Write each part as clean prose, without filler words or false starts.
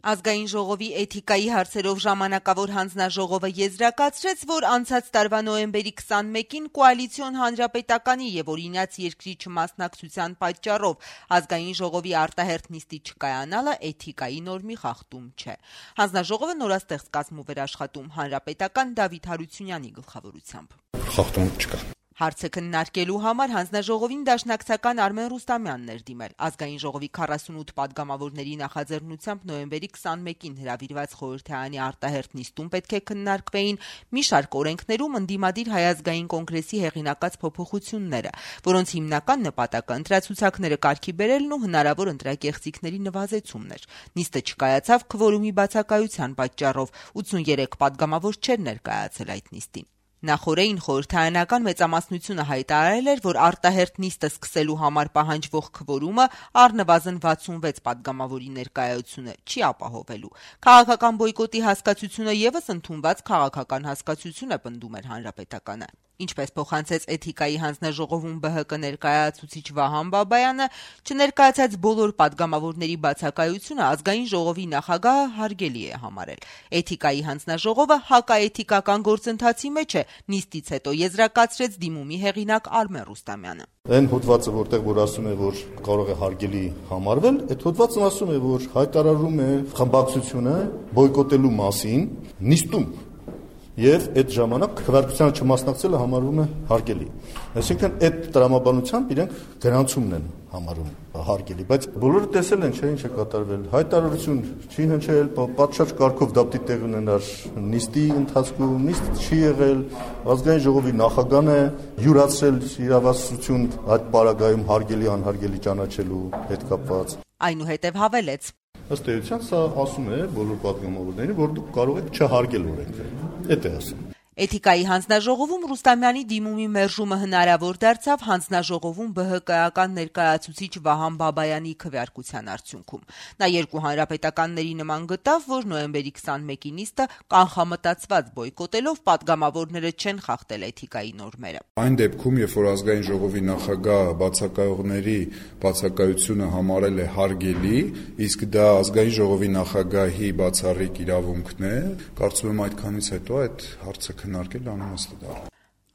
Ազգային ժողովի էթիկայի հարցերով ժամանակավոր հանձնաժողովը եզրակացրեց, որ անցած տարվա նոյեմբերի 21-ին կոալիցիոն հանրապետականի եւ օրինաց երկրի չմասնակցության պատճառով ազգային ժողովի արտահերթ նիստի չկայանալը էթիկայի նորմի խախտում չէ։ Հանձնաժողովը նորաստեղծ կազմ ու վերաշխատում հանրապետական Դավիթ Հարությունյանի գլխավորությամբ։ Խախտում չկա։ Հարցը քննարկելու համար հանձնաժողովին դաշնակցական Արմեն Ռուստամյանն էր դիմել։ Ազգային ժողովի 48 падգամավորների նախաձեռնությամբ նոյեմբերի 21-ին հրավիրված խորհրդարանի արտահերթ նիստում պետք է քննարկվեին մի շարք օրենքներում ընդդիմադիր Հայ ազգային կոնգրեսի հեղինակած փոփոխությունները, որոնց հիմնական նպատակը ընտրացուցակները կարգի բերելն ու հնարավոր ընտրակեղծիքների նվազեցումն էր։ Նիստը չկայացավ քվորումի բացակայության պատճառով, 83 падգամավոր չէր ներկայացել այդ նիստին։ Նախորդին խորհրդարանական մեծամասնությունը հայտարարել էր, որ արտահերթ նիստը սկսելու համար պահանջվող քվորումը առնվազն 66 падգամավորի ներկայությունը չի ապահովելու։ Քաղաքական բոյկոտի հասկացությունը եւս ընդունված քաղաքական հասկացություն է, պնդում էր հանրապետականը։ Ինչպես փոխանցեց էթիկայի հանձնաժողովում ԲՀԿ ներկայացուցիչ Վահան Բաբայանը, չներկայացած բոլոր падգամավորների բացակայությունը ազգային ժողովի նախագահը հարգելի է համարել։ Էթիկայի հանձնաժողովը հակաէթիկական գործընթացի մեջ է, նիստից հետո եզրակացրեց դիմումի հեղինակ Արմեն Ռուստամյանը։ Այն հոդվածը, որտեղ որ ասում է, որ կարող է հարգելի համարվել, այդ հոդվածն ասում է, որ հայտարարում է խմբակցությունը բոյկոտելու մասին նիստում։ Եվ այդ ժամանակ քվեարկությանը չմասնակցելը համարվում է հարգելի։ Այսինքն այդ տրամաբանությամբ իրենք գրանցումն են համարում հարգելի, բայց բոլորը տեսել են, չէ՞, ինչ է կատարվել։ Հայտարարություն չի հնչել, պատշաճ կարգով դեպի տեղ ունենար նիստի ընթացքում, նիստ չի եղել, ազգային ժողովի նախագահն է յուրացրել իրավասություն այդ պարագայում հարգելի անհարգելի ճանաչելու հետ կապված։ Այնուհետև հավելեց. Ըստ էության սա ասում է բոլոր падգամավորներին, որ դուք կարող եք չհարգել օրենքը։ Դա է ասում։ Էթիկայի հանձնաժողովում Ռուստամյանի դիմումի մերժումը հնարավոր դարձավ հանձնաժողովում ԲՀԿ-ական ներկայացուցիչ Վահան Բաբայանի քվեարկության արդյունքում։ Նա երկու հանրապետականների նման գտավ, որ նոյեմբերի 21-ի նիստը կանխամտածված բոյկոտելով падգամավորները չեն խախտել էթիկայի նորմերը։ Այն դեպքում, երբ որ ազգային ժողովի նախագահը բացակայողների բացակայությունը համարել է հարգելի, իսկ դա ազգային ժողովի նախագահի բացառիկ իրավունքն է, կարծում եմ այդքանից հետո այդ հարցը քննարկել անհաստ։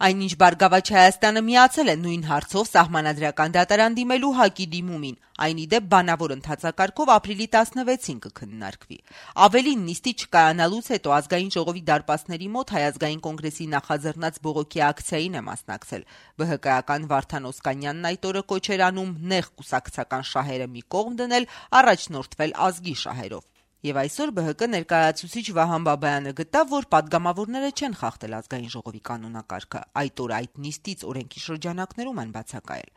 Այնինչ Բարգավաճ Հայաստանը միացել է նույն հարցով Սահմանադրական դատարան դիմելու ՀԱԿ-ի դիմումին, այն ի դեպ բանավոր ընթացակարգով ապրիլի 16-ին կքննարկվի։ Ավելին, նիստի չկայանալուց հետո ազգային ժողովի դարպասների մոտ Հայ ազգային կոնգրեսի նախաձեռնած բողոքի ակցիային է մասնակցել։ ԲՀԿ-ական Վարդան Օսկանյանն այդ օրը կոչ էր անում նեղ կուսակցական շահերը մի կողմ դնել, առաջնորդվել ազգի շահերով։ Եվ այսօր ԲՀԿ ներկայացուցիչ Վահան Բաբայանը գտավ, որ падգամավորները չեն խախտել ազգային ժողովի կանոնակարգը, այդ օր այդ նիստից օրենքի շրջանակներում են բացակայել։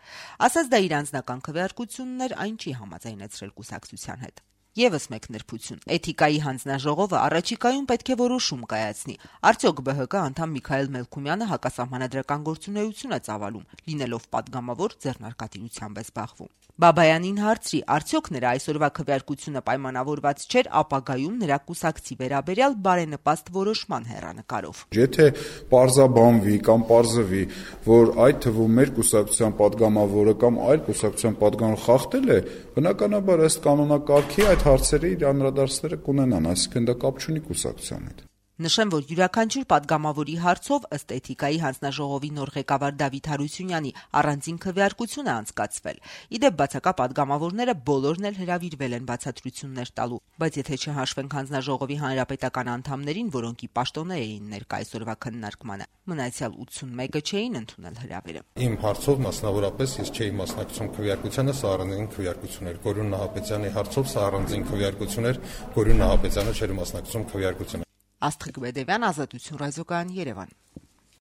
Ասած դա իր անձնական քվեարկությունն էր, այն չի համաձայնեցրել կուսակցության հետ։ Եվս մեկ նրբություն. Էթիկայի հանձնաժողովը առաջիկայում պետք է որոշում կայացնի, արդյոք ԲՀԿ անդամ Միքայել Մելքումյանը հակասահմանադրական գործունեություն է ծավալում, լինելով падգամավոր ձեռնարկատիրությամբ է զբաղվում։ Բաբայանին հարցրի, արդյոք նրա այսօրվա քվեարկությունը պայմանավորված չէր ապագայում նրա կուսակցի վերաբերյալ բարենպաստ որոշման հեռանկարով։ Եթե պարզաբանվի կամ պարզվի, որ այդ թվում մեր կուսակցության падգամավորը կամ այլ կուսակցության падգամավոր խախտել է, բնականաբար ըստ կանոնակարգի այդ հարցերը իր անդրադարձները կունենան, այսինքն դա կապ չունի կուսակցության հետ։ Նշեմ, որ յուրաքանչյուր падգամավորի հարցով ըստ էթիկայի հանձնաժողովի նոր ղեկավար Դավիթ Հարությունյանի առանձին քվեարկություն է անցկացվել։ Իդեպ բացակա падգամավորները բոլորն էլ հրավիրվել են բացատրություններ տալու, բայց եթե չհաշվենք հանձնաժողովի հանրապետական անդամներին, որոնք ի պաշտոնե էին ներկա այսօրվա քննարկմանը, մնացյալ 81-ը չէին ընդունել հրավերը։ Իմ հարցով մասնավորապես ես չէի մասնակցում քվեարկությանը, սա առանձին քվեարկություն էր։ Գորուն Նահապետյանի հարցով սա առանձին քվեարկություն էր, Գորուն Նահապետյանը չէր մասնակցում քվեարկությանը։ Աստղիկ Բեդևյան, Ազատություն ռադիոկայան, Երևան։